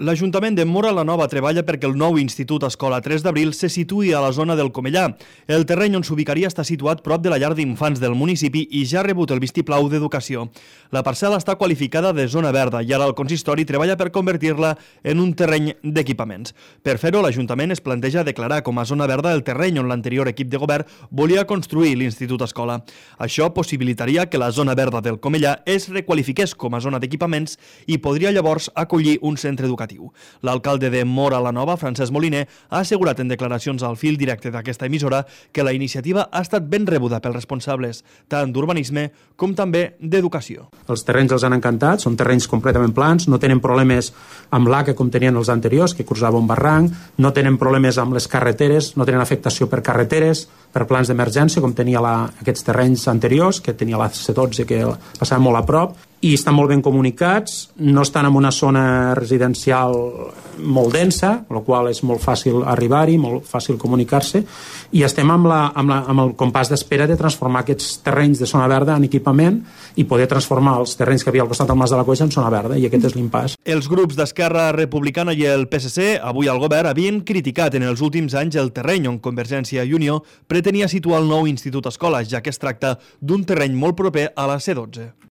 L'Ajuntament de Móra la Nova treballa perquè el nou Institut Escola 3 d'Abril se situï a la zona del Comellà. El terreny on s'ubicaria està situat prop de la llar d'infants del municipi i ja ha rebut el vistiplau d'Educació. La parcel·la està qualificada de zona verda i ara el consistori treballa per convertir-la en un terreny d'equipaments. Per fer-ho, l'Ajuntament es planteja declarar com a zona verda el terreny on l'anterior equip de govern volia construir l'Institut Escola. Això possibilitaria que la zona verda del Comellà es requalifiqués com a zona d'equipaments i podria llavors acollir un centre educatiu. L'alcalde de Móra la Nova, Francesc Moliner, ha assegurat en declaracions al fil directe d'aquesta emissora que la iniciativa ha estat ben rebuda pels responsables tant d'urbanisme com també d'educació. Els terrenys els han encantat, són terrenys completament plans, no tenen problemes amb l'ACA com tenien els anteriors, que cursava un barranc, no tenen problemes amb les carreteres, no tenen afectació per carreteres, per plans d'emergència, com tenia aquests terrenys anteriors, que tenia la C12 que passava molt a prop, i estan molt ben comunicats, no estan en una zona residencial molt densa, amb la qual és molt fàcil arribar-hi, molt fàcil comunicar-se, i estem amb el compàs d'espera de transformar aquests terrenys de zona verda en equipament i poder transformar els terrenys que havia al costat del Mas de la Coixa en zona verda, i aquest és l'impàs. Els grups d'Esquerra Republicana i el PSC, avui al govern, havien criticat en els últims anys el terreny on Convergència i Unió pretenia situar el nou Institut Escola, ja que es tracta d'un terreny molt proper a la C12.